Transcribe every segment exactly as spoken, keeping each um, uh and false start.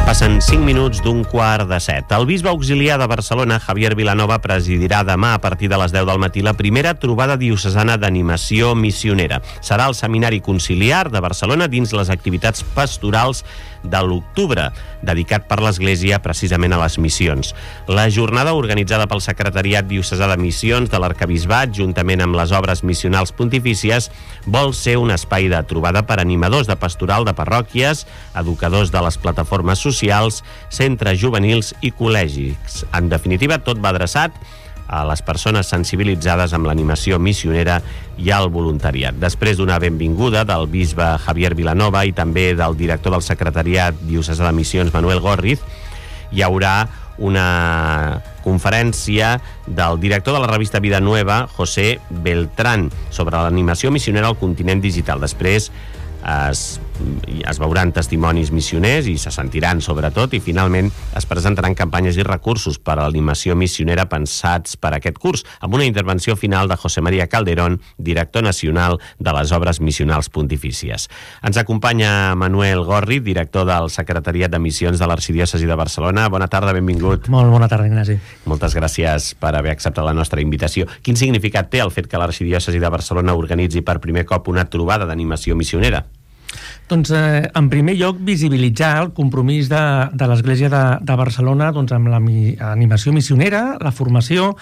Passen cinc minuts d'un quart de set. El bisbe auxiliar de Barcelona, Javier Vilanova, presidirà demà a partir de les deu del matí la primera trobada diocesana d'animació missionera. Serà el Seminari Conciliar de Barcelona dins les activitats pastorals de l'octubre, dedicat per l'Església precisament a les missions. La jornada, organitzada pel Secretariat Diocesà de Missions de l'Arquebisbat, juntament amb les obres missionals pontifícies, vol ser un espai de trobada per animadors de pastoral de parròquies, educadors de les plataformes socials, centres juvenils i col·legis. En definitiva, tot va adreçat a les persones sensibilitzades amb l'animació missionera i al voluntariat. Després d'una benvinguda del bisbe Javier Vilanova i també del director del Secretariat Diocesà de Missions, Manuel Gorriz, hi haurà una conferència del director de la revista Vida Nueva, José Beltrán, sobre l'animació missionera al continent digital. Després es, es veuran testimonis missioners i se sentiran sobretot, i finalment es presentaran campanyes i recursos per a l'animació missionera pensats per a aquest curs, amb una intervenció final de José María Calderón, director nacional de les obres missionals pontifícies. Ens acompanya Manuel Gorri, director del Secretariat de Missions de l'Arxidiòcesi de Barcelona. Bona tarda, benvingut. Molt bona tarda, Ignasi. Moltes gràcies per haver acceptat la nostra invitació. Quin significat té el fet que l'Arxidiòcesi de Barcelona organitzi per primer cop una trobada d'animació missionera? Doncs, eh, en primer lloc, visibilitzar el compromís de, de l'Església de, de Barcelona doncs, amb l'animació missionera, la formació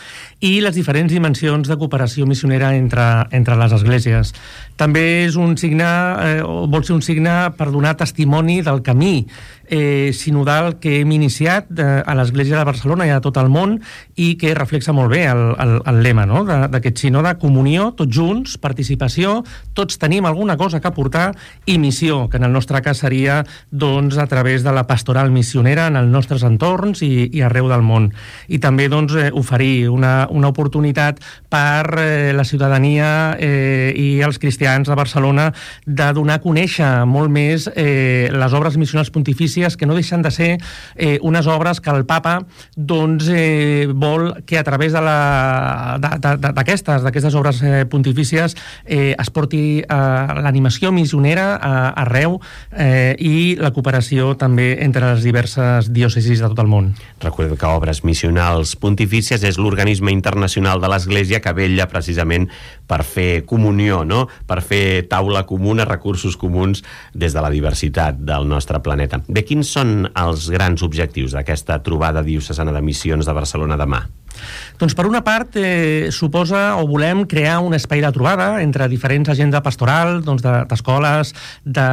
i les diferents dimensions de cooperació missionera entre, entre les esglésies. També és un signe, eh, o vol ser un signe per donar testimoni del camí eh, sinodal que hem iniciat eh, a l'Església de Barcelona i a tot el món, i que reflexa molt bé el, el, el lema, no?, d'aquest sinode: comunió, tots junts, participació, tots tenim alguna cosa que aportar, i missió, que en el nostre cas seria doncs, a través de la pastoral missionera en els nostres entorns i, i arreu del món. I també doncs, eh, oferir una, una oportunitat per eh, la ciutadania eh, i els cristians de Barcelona de donar a conèixer molt més eh, les obres missionals pontifícies, que no deixen de ser eh, unes obres que el Papa doncs, eh, vol que a través de la, de, de, d'aquestes, d'aquestes obres eh, pontifícies eh, es porti eh, l'animació missionera a, arreu eh, i la cooperació també entre les diverses diòcesis de tot el món. Recordem que Obres Missionals Pontifícies és l'organisme internacional de l'Església que vetlla precisament per fer comunió, no?, per fer taula comuna, recursos comuns des de la diversitat del nostre planeta. Bé, quins són els grans objectius d'aquesta trobada diocesana de missions de Barcelona demà? Doncs per una part eh, suposa o volem crear un espai de trobada entre diferents agents de pastoral, doncs d'escoles, de,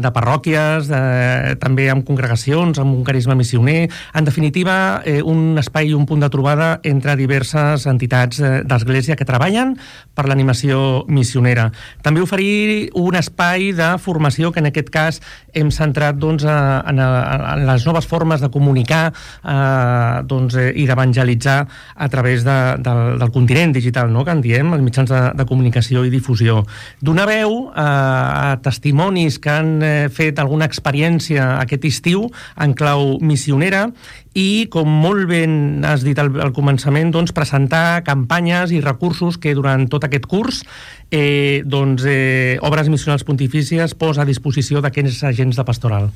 de parròquies, de, també amb congregacions, amb un carisma missioner, en definitiva eh, un espai i un punt de trobada entre diverses entitats eh, d'Església que treballen per l'animació missionera. També oferir un espai de formació que en aquest cas hem centrat doncs, a, en, a, en les noves formes de comunicar eh, doncs, eh, i d'evangelitzar a través de, del, del continent digital, no?, que en diem, els mitjans de, de comunicació i difusió. Donar veu a, a testimonis que han eh, fet alguna experiència aquest estiu en clau missionera i, com molt ben has dit al, al començament, doncs, presentar campanyes i recursos que durant tot aquest curs eh, doncs, eh, Obres Missionals Pontifícies posa a disposició d'aquests agents de pastoral.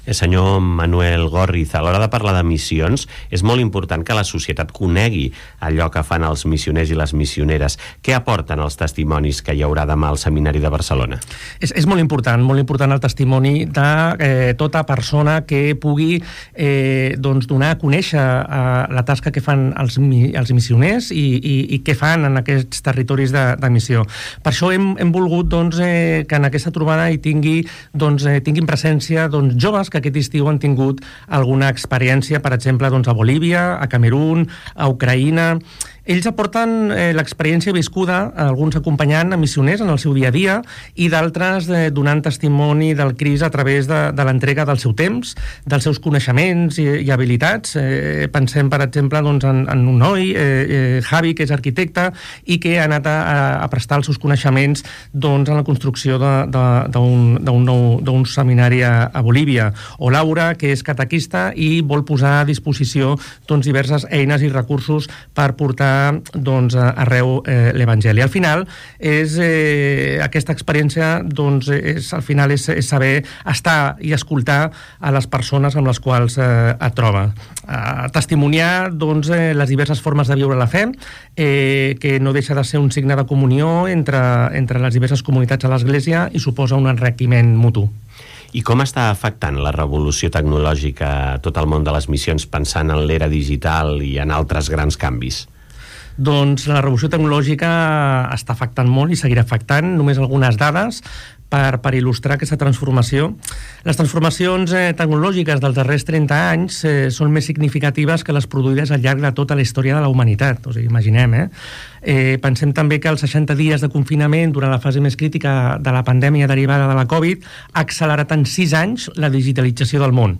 El senyor Manuel Gorriz, a l'hora de parlar de missions, és molt important que la societat conegui allò que fan els missioners i les missioneres. Què aporten els testimonis que hi haurà demà al Seminari de Barcelona? És, és molt important, molt important el testimoni de eh, tota persona que pugui eh, doncs donar a conèixer eh, la tasca que fan els, els missioners i, i, i què fan en aquests territoris de, de missió. Per això hem, hem volgut doncs, eh, que en aquesta trobada hi tingui, doncs, eh, tinguin presència doncs, joves que aquest estiu han tingut alguna experiència, per exemple, doncs, a Bolívia, a Camerún, a Ucraïna. Ells aporten eh, l'experiència viscuda, alguns acompanyant a missioners en el seu dia a dia i d'altres eh, donant testimoni del Crist a través de, de l'entrega del seu temps, dels seus coneixements i, i habilitats. Eh, pensem, per exemple, doncs, en, en un noi, eh, eh, Javi, que és arquitecte i que ha anat a, a prestar els seus coneixements doncs, en la construcció d'un nou seminari a, a Bolívia. O Laura, que és catequista i vol posar a disposició doncs, diverses eines i recursos per portar portar doncs, arreu eh, l'Evangeli. Al final, és, eh, aquesta experiència doncs, és, al final és, és saber estar i escoltar a les persones amb les quals eh, et troba. Eh, testimoniar doncs, eh, les diverses formes de viure la fe, eh, que no deixa de ser un signe de comunió entre, entre les diverses comunitats a l'Església i suposa un enriquiment mutu. I com està afectant la revolució tecnològica a tot el món de les missions, pensant en l'era digital i en altres grans canvis? Doncs la revolució tecnològica està afectant molt i seguirà afectant. Només algunes dades per, per il·lustrar aquesta transformació. Les transformacions eh, tecnològiques dels darrers trenta anys eh, són més significatives que les produïdes al llarg de tota la història de la humanitat. O sigui, imaginem, eh? Eh, pensem també que els seixanta dies de confinament durant la fase més crítica de la pandèmia derivada de la Covid ha accelerat en sis anys la digitalització del món.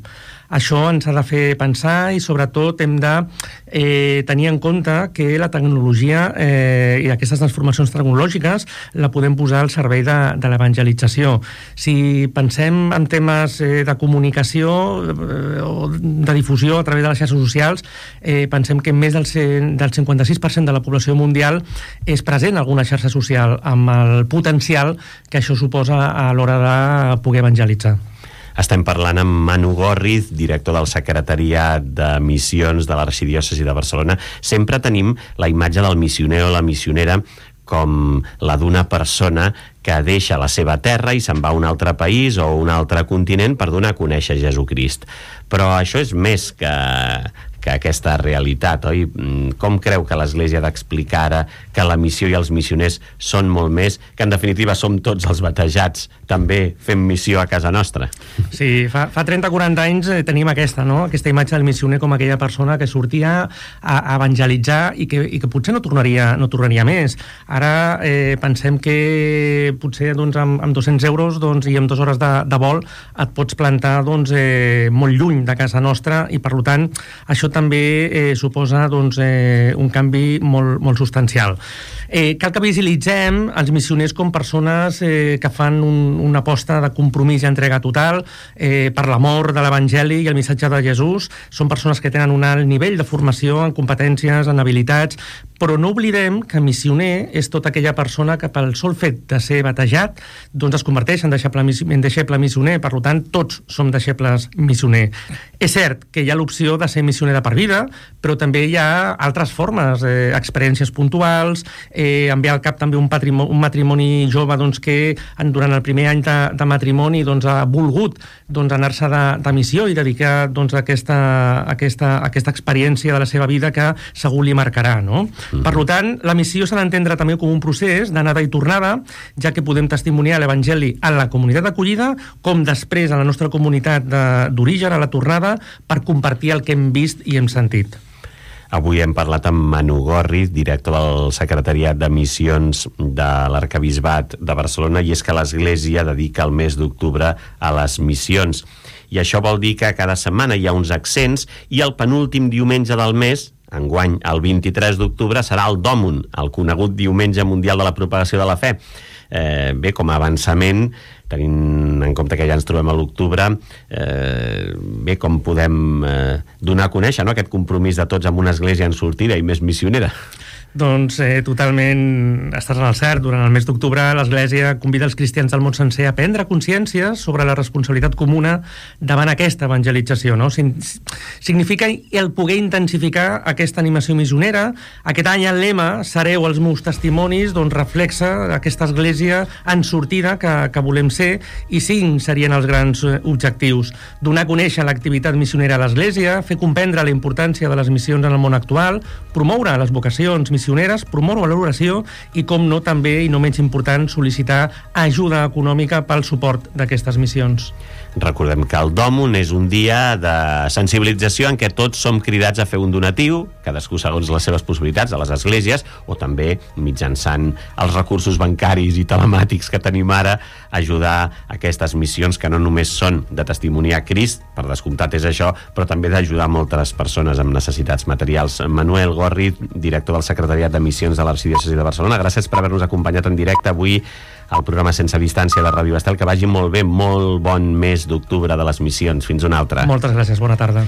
Això ens ha de fer pensar i sobretot hem de eh, tenir en compte que la tecnologia eh, i aquestes transformacions tecnològiques la podem posar al servei de, de l'evangelització. Si pensem en temes eh, de comunicació eh, o de difusió a través de les xarxes socials, eh, pensem que més del, del cinquanta sis per cent de la població mundial és present en alguna xarxa social, amb el potencial que això suposa a l'hora de poder evangelitzar. Estem parlant amb Manu Gorriz, director del Secretariat de Missions de l'Arxidiòcesi de Barcelona. Sempre tenim la imatge del missioner o la missionera com la d'una persona que deixa la seva terra i se'n va a un altre país o un altre continent per donar a conèixer Jesucrist. Però això és més que, que aquesta realitat, oi? Com creu que l'Església ha d'explicar ara que la missió i els missioners són molt més, que en definitiva som tots els batejats, també fem missió a casa nostra? Sí, fa, fa trenta o quaranta anys eh, tenim aquesta, no? Aquesta imatge del missioner com aquella persona que sortia a, a evangelitzar i que, i que potser no tornaria, no tornaria més. Ara eh, pensem que potser doncs, amb, amb dos-cents euros doncs, i amb dues hores de, de vol et pots plantar doncs, eh, molt lluny de casa nostra i per tant això també eh, suposa doncs, eh, un canvi molt, molt substancial. Eh, cal que visualitzem els missioners com persones eh, que fan un, una aposta de compromís i entrega total eh, per l'amor de l'Evangeli i el missatge de Jesús. Són persones que tenen un alt nivell de formació en competències, en habilitats, però no oblidem que missioner és tota aquella persona que pel sol fet de ser batejat doncs es converteix en deixeble, en deixeble missioner. Per tant, tots som deixebles missioner. És cert que hi ha l'opció de ser missioner de per vida, però també hi ha altres formes, eh, experiències puntuals, eh, em ve al cap també un, patrimoni, un matrimoni jove doncs, que en, durant el primer any de, de matrimoni doncs, ha volgut doncs, anar-se de, de missió i dedicar doncs, aquesta, aquesta, aquesta experiència de la seva vida que segur li marcarà, no? Mm. Per tant, la missió s'ha d'entendre també com un procés d'anada i tornada, ja que podem testimoniar l'Evangeli a la comunitat d'acollida com després a la nostra comunitat d'origen, a la tornada, per compartir el que hem vist i hem sentit. Avui hem parlat amb Manu Gorriz, director del Secretariat de Missions de l'Arquebisbat de Barcelona, i és que l'Església dedica el mes d'octubre a les missions. I això vol dir que cada setmana hi ha uns accents i el penúltim diumenge del mes, enguany el vint-i-tres d'octubre, serà el Dòmun, el conegut Diumenge Mundial de la Propagació de la Fe. Eh, bé, com a avançament, tenint en compte que ja ens trobem a l'octubre, eh, bé, com podem eh, donar a conèixer, no?, aquest compromís de tots amb una església en sortida i més missionera? Doncs eh, totalment estàs en el cert. Durant el mes d'octubre l'Església convida els cristians del món sencer a prendre consciència sobre la responsabilitat comuna davant aquesta evangelització, no? Significa el poder intensificar aquesta animació missionera. Aquest any el lema "Sereu els meus testimonis" doncs reflexa aquesta Església en sortida que, que volem ser, i cinc serien els grans objectius: donar a conèixer l'activitat missionera a l'Església, fer comprendre la importància de les missions en el món actual, promoure les vocacions missioneres, promoure l'oració i, com no, també, i no menys important, sol·licitar ajuda econòmica pel suport d'aquestes missions. Recordem que el Dòmun és un dia de sensibilització en què tots som cridats a fer un donatiu, cadascú segons les seves possibilitats, a les esglésies, o també mitjançant els recursos bancaris i telemàtics que tenim ara, ajudar aquestes missions que no només són de testimoniar Crist, per descomptat és això, però també d'ajudar moltes persones amb necessitats materials. Manuel Gorriz, director del Secretariat de Missions de l'Arxidiòcesi de Barcelona, gràcies per haver-nos acompanyat en directe avui al programa Sense Distància de Ràdio Estel. Que vagi molt bé, molt bon mes d'octubre de les missions. Fins una altra. Moltes gràcies, bona tarda.